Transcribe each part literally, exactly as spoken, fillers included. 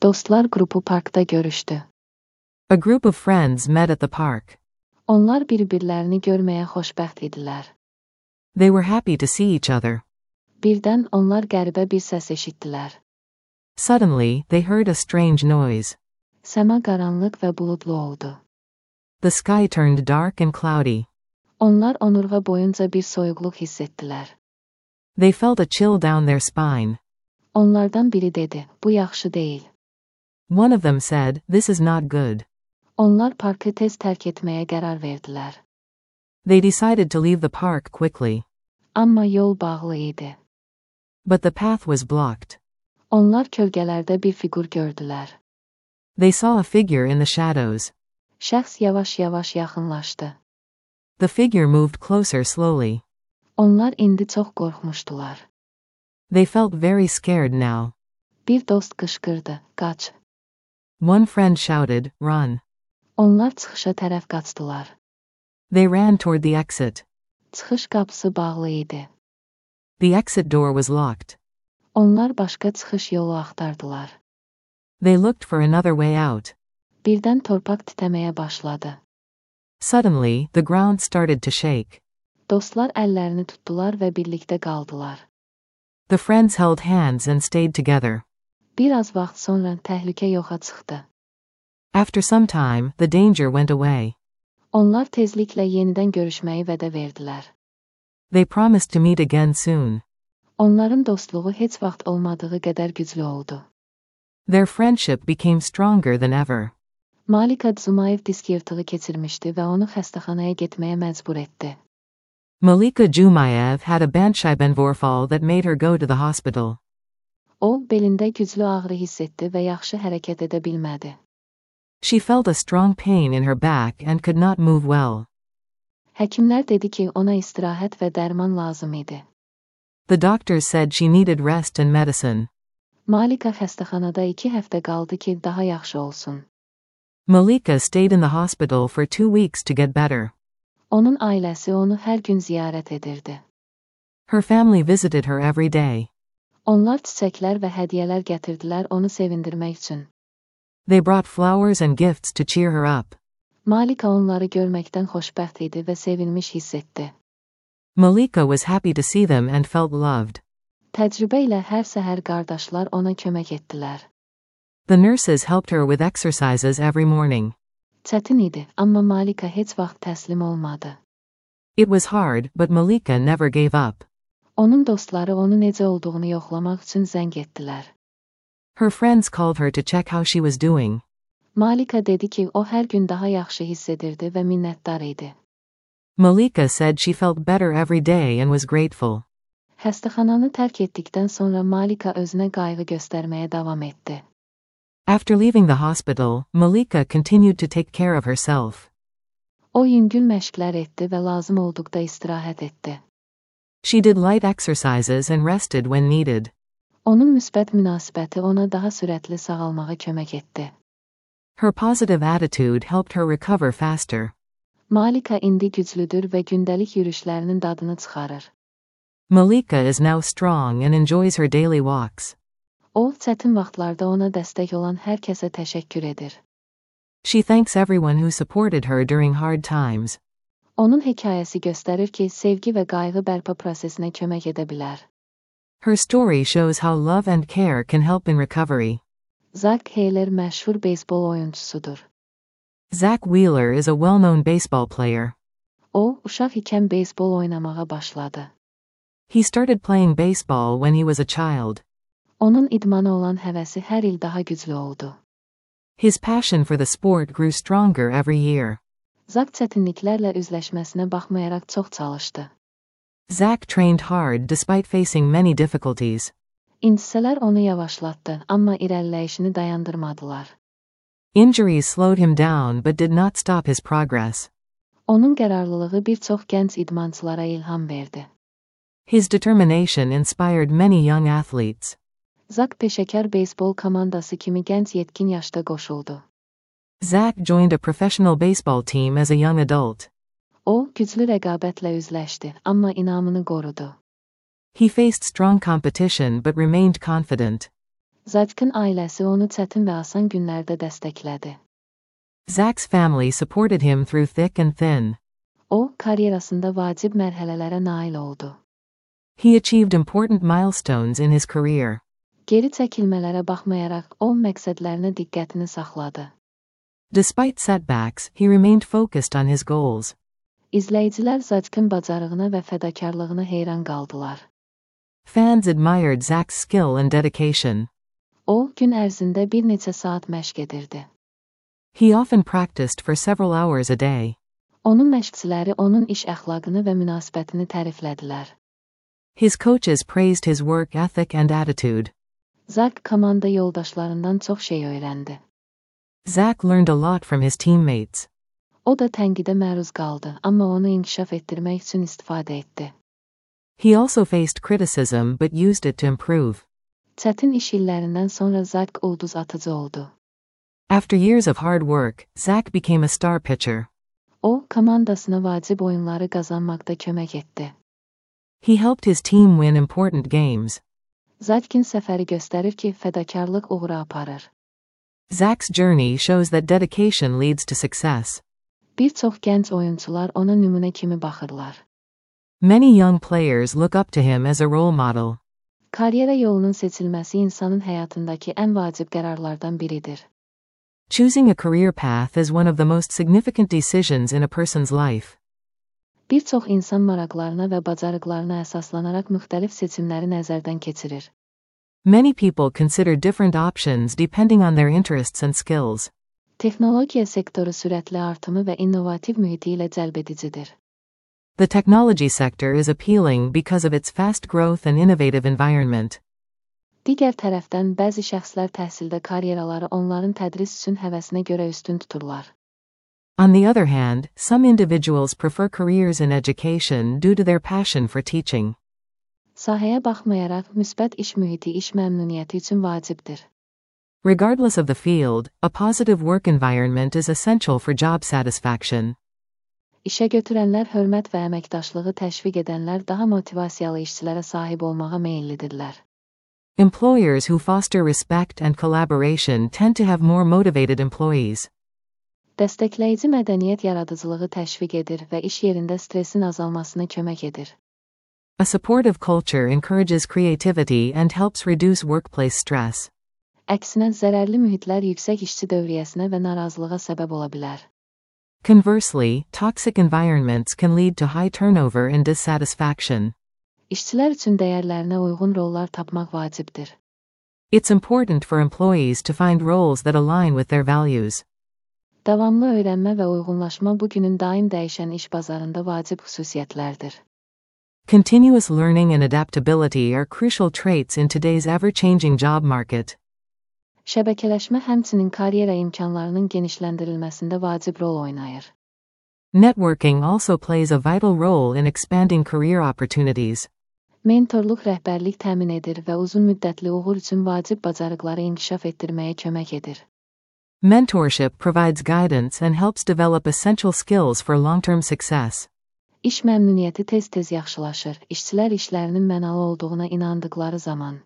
Dostlar grubu parkta görüştü. A group of friends met at the park. Onlar bir-birlərini görməyə xoşbəxt idilər. They were happy to see each other. Birdən onlar qəribə bir səs eşitdilər. Suddenly, they heard a strange noise. Səma qaranlıq və buludlu oldu. The sky turned dark and cloudy. Onlar onurğa boyunca bir soyuqluq hiss etdilər. They felt a chill down their spine. Onlardan biri dedi, bu yaxşı deyil. One of them said, "This is not good." Onlar parkı tez tərk etməyə qərar verdilər. They decided to leave the park quickly. Amma yol bağlı idi. But the path was blocked. Onlar kölgələrdə bir fiqur gördülər. They saw a figure in the shadows. Şəxs yavaş-yavaş yaxınlaşdı. The figure moved closer slowly. Onlar indi çox qorxmuşdular. They felt very scared now. Bir dost qışqırdı, qaç. One friend shouted, "Run." Onlar çıxışa tərəf qaçdılar. They ran toward the exit. Çıxış qapısı bağlı idi. The exit door was locked. Onlar başqa çıxış yolu axtardılar. They looked for another way out. Birdən torpaq titrəməyə başladı. Suddenly, the ground started to shake. Dostlar əllərini tutdular və birlikdə qaldılar. The friends held hands and stayed together. Bir az vaxt sonra təhlükə yoxa çıxdı. After some time, the danger went away. Onlar tezliklə yenidən görüşməyi vədə verdilər. They promised to meet again soon. Onların dostluğu heç vaxt olmadığı qədər güclü oldu. Their friendship became stronger than ever. Malika Dzumayev disk yırtığı keçirmişdi və onu xəstəxanaya getməyə məcbur etdi. Malika Jumayev had a Bandscheibenvorfall that made her go to the hospital. O, belində güclü ağrı hiss etdi və yaxşı hərəkət edə bilmədi. She felt a strong pain in her back and could not move well. Həkimlər dedi ki, ona istirahət və dərman lazım idi. The doctors said she needed rest and medicine. Malika xəstəxanada iki həftə qaldı ki, daha yaxşı olsun. Malika stayed in the hospital for two weeks to get better. Onun ailəsi onu hər gün ziyarət edirdi. Her family visited her every day. Onlar çiçəklər və hədiyyələr gətirdilər onu sevindirmək üçün. They brought flowers and gifts to cheer her up. Malika onları görməkdən xoşbəxt idi və sevinmiş hiss etdi. Malika was happy to see them and felt loved. Təcrübə ilə hər səhər qardaşlar ona kömək etdilər. The nurses helped her with exercises every morning. Çətin idi, amma Malika heç vaxt təslim olmadı. It was hard, but Malika never gave up. Onun dostları onu necə olduğunu yoxlamaq üçün zəng etdilər. Her friends called her to check how she was doing. Malika dedi ki, o hər gün daha yaxşı hiss edirdi və minnətdar idi. Malika said she felt better every day and was grateful. Xəstəxananı tərk etdikdən sonra Malika özünə qayğı göstərməyə davam etdi. After leaving the hospital, Malika continued to take care of herself. O yüngül məşqlər etdi və lazım olduqda istirahət etdi. She did light exercises and rested when needed. Onun müsbət münasibəti ona daha sürətli sağalmağa kömək etdi. Her positive attitude helped her recover faster. Malika indi güclüdür və gündəlik yürüşlərinin dadını çıxarır. Malika is now strong and enjoys her daily walks. O, çətin vaxtlarda ona dəstək olan hər kəsə təşəkkür edir. She thanks everyone who supported her during hard times. Onun hekayəsi göstərir ki, sevgi və qayğı bərpa prosesinə kömək edə bilər. Her story shows how love and care can help in recovery. Zach Wheeler məşhur beysbol oyuncusudur. Zach Wheeler is a well-known baseball player. O, uşaq ikən beysbol oynamağa başladı. He started playing baseball when he was a child. Onun idmana olan həvəsi hər il daha güclü oldu. His passion for the sport grew stronger every year. Zach çətinliklərlə üzləşməsinə baxmayaraq çox çalışdı. Zach trained hard despite facing many difficulties. İntisələr onu yavaşlatdı, amma irəliləyişini dayandırmadılar. Injuries slowed him down but did not stop his progress. Onun qərarlılığı bir çox gənc idmançılara ilham verdi. His determination inspired many young athletes. Zach peşəkar beysbol komandası kimi gənc yetkin yaşda qoşuldu. Zach joined a professional baseball team as a young adult. O, güclü rəqabətlə üzləşdi, amma inamını qorudu. He faced strong competition but remained confident. Zak'ın ailəsi onu çətin və asan günlərdə dəstəklədi. Zach's family supported him through thick and thin. O, karyerasında vacib mərhələlərə nail oldu. He achieved important milestones in his career. Geri çəkilmələrə baxmayaraq, o məqsədlərinə diqqətini saxladı. Despite setbacks, he remained focused on his goals. İzləyicilər Zak'ın bacarığına və fədakarlığına heyran qaldılar. Fans admired Zach's skill and dedication. O, gün ərzində bir neçə saat məşq edirdi. He often practiced for several hours a day. Onun məşqçiləri onun iş əxlaqını və münasibətini təriflədilər. His coaches praised his work ethic and attitude. Zach komanda yoldaşlarından çox şey öyrəndi. Zach learned a lot from his teammates. O da tənqidə məruz qaldı, amma onu inkişaf etdirmək üçün istifadə etdi. He also faced criticism but used it to improve. Çətin iş illərindən sonra Zach ulduz atıcı oldu. After years of hard work, Zach became a star pitcher. O, komandasına vacib oyunları qazanmaqda kömək etdi. He helped his team win important games. Zach'in səfəri göstərir ki, fədakarlıq uğura aparır. Zach's journey shows that dedication leads to success. Bir çox gənc oyunçular ona nümunə kimi baxırlar. Many young players look up to him as a role model. Karyera yolunun seçilməsi insanın həyatındakı ən vacib qərarlardan biridir. Choosing a career path is one of the most significant decisions in a person's life. Bir çox insan maraqlarına və bacarıqlarına əsaslanaraq müxtəlif seçimləri nəzərdən keçirir. Many people consider different options depending on their interests and skills. Texnologiya sektoru sürətli artımı və innovativ mühiti ilə cəlbedicidir. The technology sector is appealing because of its fast growth and innovative environment. Digər tərəfdən bəzi şəxslər təhsildə karyeraları onların tədris üçün həvəsinə görə üstün tuturlar. On the other hand, some individuals prefer careers in education due to their passion for teaching. Sahəyə baxmayaraq, müsbət iş mühiti iş məmnuniyyəti üçün vacibdir. Regardless of the field, a positive work environment is essential for job satisfaction. İşə götürənlər hörmət və əməkdaşlığı təşviq edənlər daha motivasiyalı işçilərə sahib olmağa meyillidirlər. Employers who foster respect and collaboration tend to have more motivated employees. Dəstəkləyici mədəniyyət yaradıcılığı təşviq edir və iş yerində stresin azalmasına kömək edir. A supportive culture encourages creativity and helps reduce workplace stress. Əksinə, zərərli mühitlər yüksək işçi dövriyyəsinə və narazılığa səbəb ola bilər. Conversely, toxic environments can lead to high turnover and dissatisfaction. İşçilər üçün dəyərlərinə uyğun rollar tapmaq vacibdir. It's important for employees to find roles that align with their values. Davamlı öyrənmə və uyğunlaşma bugünün daim dəyişən iş bazarında vacib xüsusiyyətlərdir. Continuous learning and adaptability are crucial traits in today's ever-changing job market. Şəbəkələşmə həmçinin karyera imkanlarının genişləndirilməsində vacib rol oynayır. Networking also plays a vital role in expanding career opportunities. Mentorluq rəhbərlik təmin edir və uzun müddətli uğur üçün vacib bacarıqları inkişaf etdirməyə kömək edir. Mentorship provides guidance and helps develop essential skills for long-term success. İş məmnuniyyəti tez-tez yaxşılaşır, işçilər işlərinin mənalı olduğuna inandıqları zaman.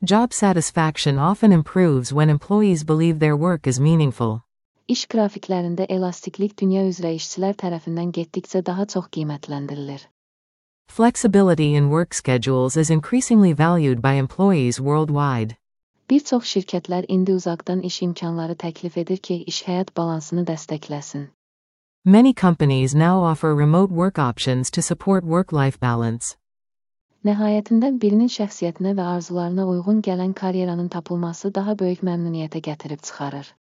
Job satisfaction often improves when employees believe their work is meaningful. İş qrafiklərində elastiklik dünya üzrə işçilər tərəfindən getdikcə daha çox qiymətləndirilir. Flexibility in work schedules is increasingly valued by employees worldwide. Bir çox şirkətlər indi uzaqdan iş imkanları təklif edir ki, iş-həyat balansını dəstəkləsin. Many companies now offer remote work options to support work-life balance. Nəhayətində birinin şəxsiyyətinə və arzularına uyğun gələn karyeranın tapılması daha böyük məmnuniyyətə gətirib çıxarır.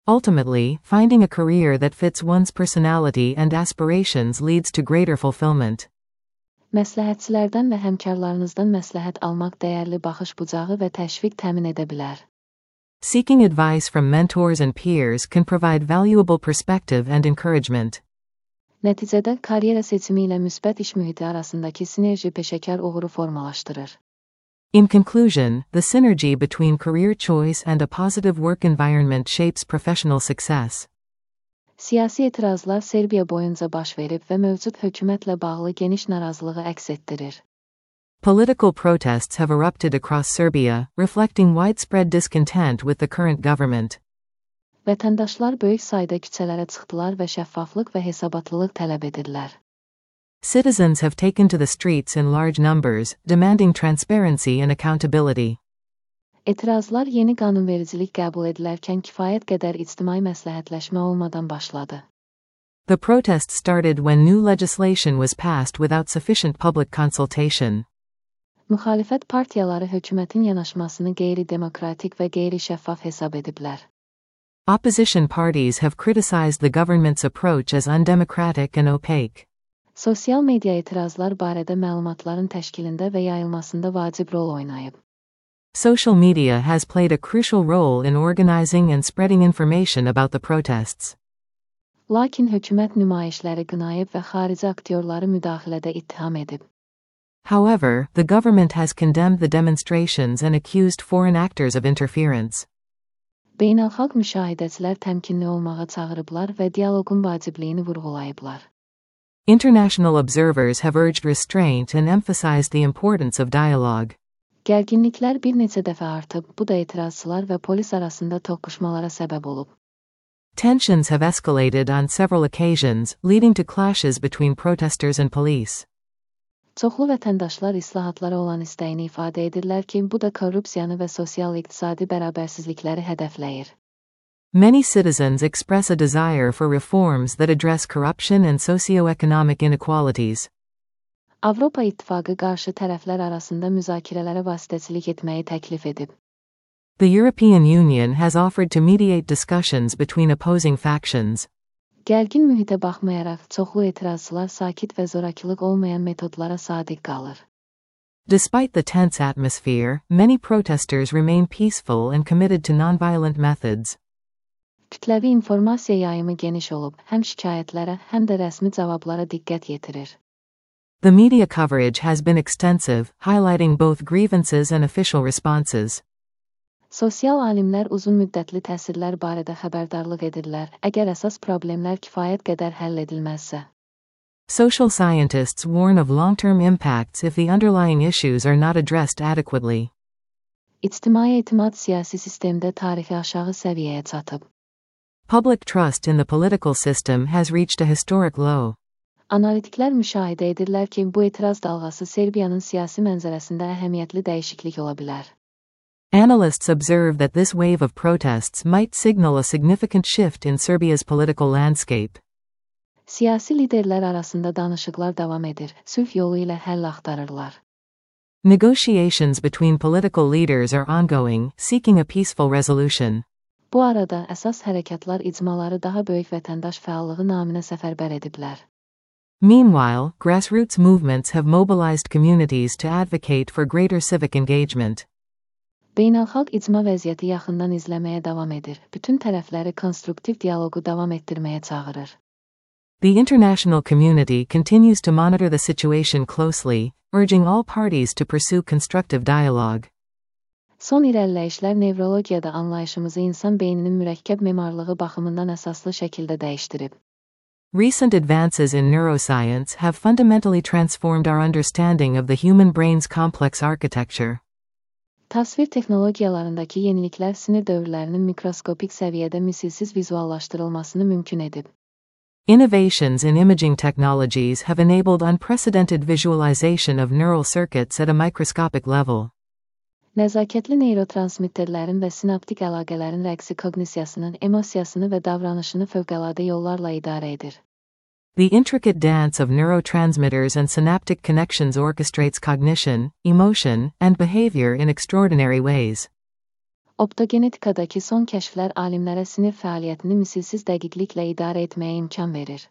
Ultimately, finding a career that fits one's personality and aspirations leads to greater fulfillment. Məsləhətçilərdən və həmkarlarınızdan məsləhət almaq dəyərli baxış bucağı və təşviq təmin edə bilər. Seeking advice from mentors and peers can provide valuable perspective and encouragement. Nəticədə, karyera seçimi ilə müsbət iş mühiti arasındakı sinerji peşəkar uğuru formalaşdırır. In conclusion, the synergy between career choice and a positive work environment shapes professional success. Siyasi etirazlar Serbiya boyunca baş verib və mövcud hökumətlə bağlı geniş narazılığı əks etdirir. Political protests have erupted across Serbia, reflecting widespread discontent with the current government. Vətəndaşlar böyük sayda küçələrə çıxdılar və şəffaflıq və hesabatlılıq tələb edirlər. Citizens have taken to the streets in large numbers, demanding transparency and accountability. Etirazlar yeni qanunvericilik qəbul edilərkən kifayət qədər ictimai məsləhətləşmə olmadan başladı. The protest started when new legislation was passed without sufficient public consultation. Müxalifət partiyaları hökumətin yanaşmasını qeyri-demokratik və qeyri-şəffaf hesab ediblər. Opposition parties have criticized the government's approach as undemocratic and opaque. Sosial media etirazlar barədə məlumatların təşkilində və yayılmasında vacib rol oynayıb. Social media has played a crucial role in organizing and spreading information about the protests. Lakin hökumət nümayişləri qınayıb və xarici aktyorları müdaxilədə ittiham edib. However, the government has condemned the demonstrations and accused foreign actors of interference. Beynəlxalq müşahidəçilər təmkinli olmağa çağırıblar və dialoqun vacibliyini vurğulayıblar. International observers have urged restraint and emphasized the importance of dialogue. Gərginliklər bir neçə dəfə artıb, bu da etirazçılar və polis arasında toqquşmalara səbəb olub. Tensions have escalated on several occasions, leading to clashes between protesters and police. Çoxlu vətəndaşlar islahatlara olan istəyini ifadə edirlər ki, bu da korrupsiyanı və sosial-iqtisadi bərabərsizlikləri hədəfləyir. Many citizens express a desire for reforms that address corruption and socio-economic inequalities. Avropa İttifaqı qarşı tərəflər arasında müzakirələrə vasitəçilik etməyi təklif edib. The European Union has offered to mediate discussions between opposing factions. Gərgin mühitə baxmayaraq, çoxlu etirazçılar sakit və zorakılıq olmayan metodlara sadiq qalır. Despite the tense atmosphere, many protesters remain peaceful and committed to nonviolent methods. Kütləvi informasiya yayımı geniş olub, həm şikayətlərə, həm də rəsmi cavablara diqqət yetirir. The media coverage has been extensive, highlighting both grievances and official responses. Sosial alimlər uzun müddətli təsirlər barədə xəbərdarlıq edirlər, əgər əsas problemlər kifayət qədər həll edilməzsə. Social scientists warn of long-term impacts if the underlying issues are not addressed adequately. İctimai etimad siyasi sistemdə tarixi aşağı səviyyəyə çatıb. Public trust in the political system has reached a historic low. Analitiklər müşahidə edirlər ki, bu etiraz dalğası Serbiyanın siyasi mənzərəsində əhəmiyyətli dəyişiklik ola bilər. Analysts observe that this wave of protests might signal a significant shift in Serbia's political landscape. Siyasi liderlər arasında danışıqlar davam edir, sülh yolu ilə həll axtarırlar. Negotiations between political leaders are ongoing, seeking a peaceful resolution. Bu arada əsas hərəkatlar icmaları daha böyük vətəndaş fəallığı naminə səfərbər ediblər. Meanwhile, grassroots movements have mobilized communities to advocate for greater civic engagement. Beynəlxalq icma vəziyyəti yaxından izləməyə davam edir, bütün tərəfləri konstruktiv dialoqu davam etdirməyə çağırır. The international community continues to monitor the situation closely, urging all parties to pursue constructive dialogue. Son irəliləyişlər nevrologiyada anlayışımızı insan beyninin mürəkkəb memarlığı baxımından əsaslı şəkildə dəyişdirib. Recent advances in neuroscience have fundamentally transformed our understanding of the human brain's complex architecture. Təsvir texnologiyalarındakı yeniliklər sinir dövrlərinin mikroskopik səviyyədə misilsiz vizuallaşdırılmasını mümkün edib. Innovations in imaging technologies have enabled unprecedented visualization of neural circuits at a microscopic level. Nəzakətli neyrotransmitterlərin və sinaptik əlaqələrin rəqsi koqnisiyasının, emosiyasını və davranışını fövqəladə yollarla idarə edir. The intricate dance of neurotransmitters and synaptic connections orchestrates cognition, emotion, and behavior in extraordinary ways. Optogenetikadakı son kəşflər alimlərə sinir fəaliyyətini misilsiz dəqiqliklə idarə etməyə imkan verir.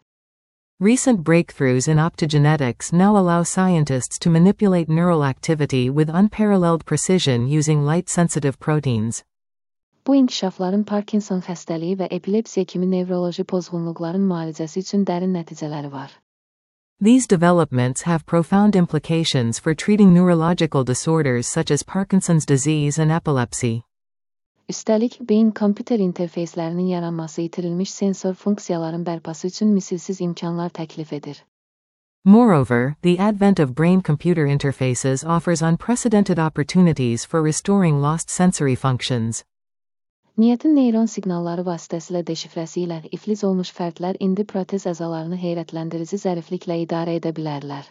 Recent breakthroughs in optogenetics now allow scientists to manipulate neural activity with unparalleled precision using light-sensitive proteins. Bu inkişafların Parkinson xəstəliyi və epilepsiya kimi nevroloji pozğunluqların müalicəsi üçün dərin nəticələri var. These developments have profound implications for treating neurological disorders such as Parkinson's disease and epilepsy. Üstəlik, beyin-kompüter interfeyslərinin yaranması itirilmiş sensor funksiyaların bərpası üçün misilsiz imkanlar təklif edir. Moreover, the advent of brain-computer interfaces offers unprecedented opportunities for restoring lost sensory functions. Niyyətin neyron siqnalları vasitəsilə deşifrəsi ilə iflic olmuş fərdlər indi protez əzalarını heyrətləndirici zərifliklə idarə edə bilərlər.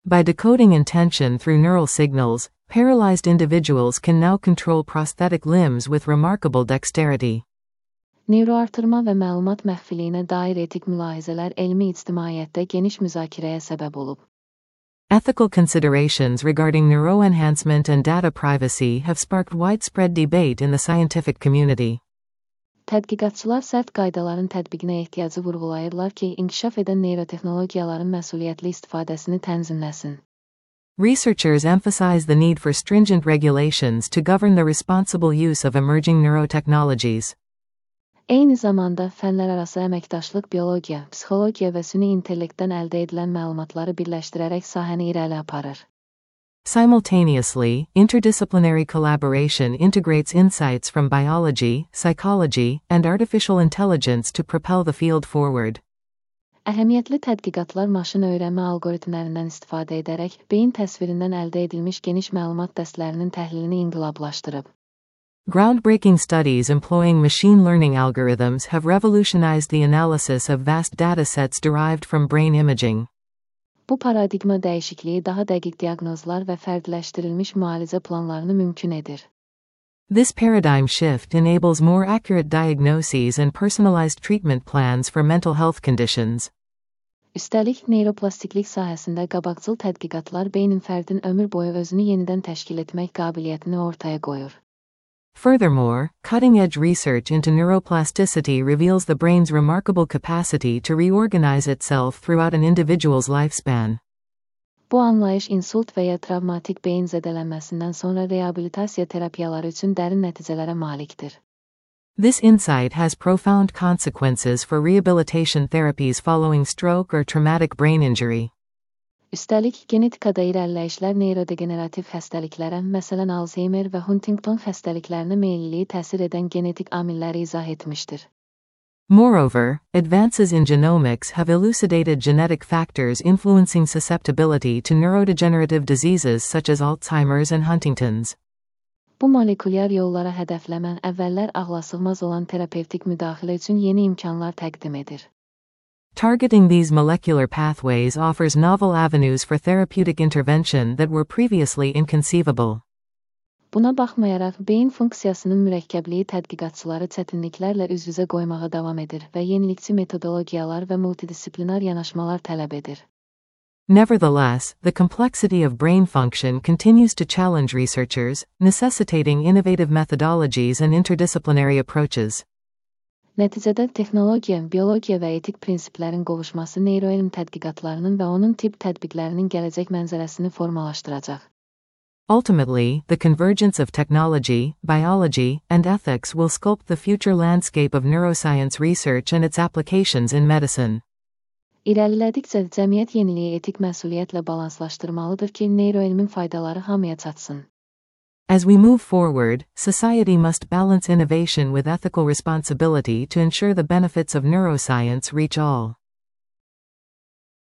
By decoding intention through neural signals, paralyzed individuals can now control prosthetic limbs with remarkable dexterity. Neyroartırma və məlumat məxfiliyinə dair etik mülahizələr elmi ictimaiyyətdə geniş müzakirəyə səbəb olub. Ethical considerations regarding neuroenhancement and data privacy have sparked widespread debate in the scientific community. Tədqiqatçılar sərt qaydaların tətbiqinə ehtiyacı vurğulayırlar ki, inkişaf edən neyrotexnologiyaların məsuliyyətli istifadəsini tənzimləsin. Researchers emphasize the need for stringent regulations to govern the responsible use of emerging neurotechnologies. Eyni zamanda fənlərarası əməkdaşlıq biologiya, psixologiya və süni intellektdən əldə edilən məlumatları birləşdirərək sahəni irəli aparır. Simultaneously, interdisciplinary collaboration integrates insights from biology, psychology, and artificial intelligence to propel the field forward. Əhəmiyyətli tədqiqatlar maşın öyrənmə algoritmlərindən istifadə edərək beyin təsvirindən əldə edilmiş geniş məlumat dəstlərinin təhlilini inqilablaşdırıb. Groundbreaking studies employing machine learning algorithms have revolutionized the analysis of vast datasets derived from brain imaging. Bu paradigma dəyişikliyi daha dəqiq diaqnozlar və fərdləşdirilmiş müalicə planlarını mümkün edir. This paradigm shift enables more accurate diagnoses and personalized treatment plans for mental health conditions. Üstəlik, neyroplastiklik sahəsində qabaqcıl tədqiqatlar beynin fərdin ömür boyu özünü yenidən təşkil etmək qabiliyyətini ortaya qoyur. Furthermore, cutting-edge research into neuroplasticity reveals the brain's remarkable capacity to reorganize itself throughout an individual's lifespan. Bu anlayış insult və ya travmatik beyin zədələnməsindən sonra reabilitasiya terapiyaları üçün dərin nəticələrə malikdir. This insight has profound consequences for rehabilitation therapies following stroke or traumatic brain injury. Üstəlik, genetikada irəliləyişlər neyrodegenerativ xəstəliklərə, məsələn Alzheimer və Huntington xəstəliklərinə meyilliyi təsir edən genetik amilləri izah etmişdir. Moreover, advances in genomics have elucidated genetic factors influencing susceptibility to neurodegenerative diseases such as Alzheimer's and Huntington's. Bu molekulyar yollara hədəfləmən əvvəllər ağlasığmaz olan terapevtik müdaxilə üçün yeni imkanlar təqdim edir. Targeting these molecular pathways offers novel avenues for therapeutic intervention that were previously inconceivable. Buna baxmayaraq, beyin funksiyasının mürəkkəbliyi tədqiqatçıları çətinliklərlə üz-üzə qoymağa davam edir və yenilikçi metodologiyalar və multidisiplinar yanaşmalar tələb edir. Nevertheless, the complexity of brain function continues to challenge researchers, necessitating innovative methodologies and interdisciplinary approaches. Nəticədə texnologiya, biologiya və etik prinsiplərin qovuşması neyroelm tədqiqatlarının və onun tibb tətbiqlərinin gələcək mənzərəsini formalaşdıracaq. Ultimately, the convergence of technology, biology, and ethics will sculpt the future landscape of neuroscience research and its applications in medicine. İrəlilədikcə cəmiyyət yeniliyi etik məsuliyyətlə balanslaşdırmalıdır ki, neyroelmin faydaları hamıya çatsın. As we move forward, society must balance innovation with ethical responsibility to ensure the benefits of neuroscience reach all.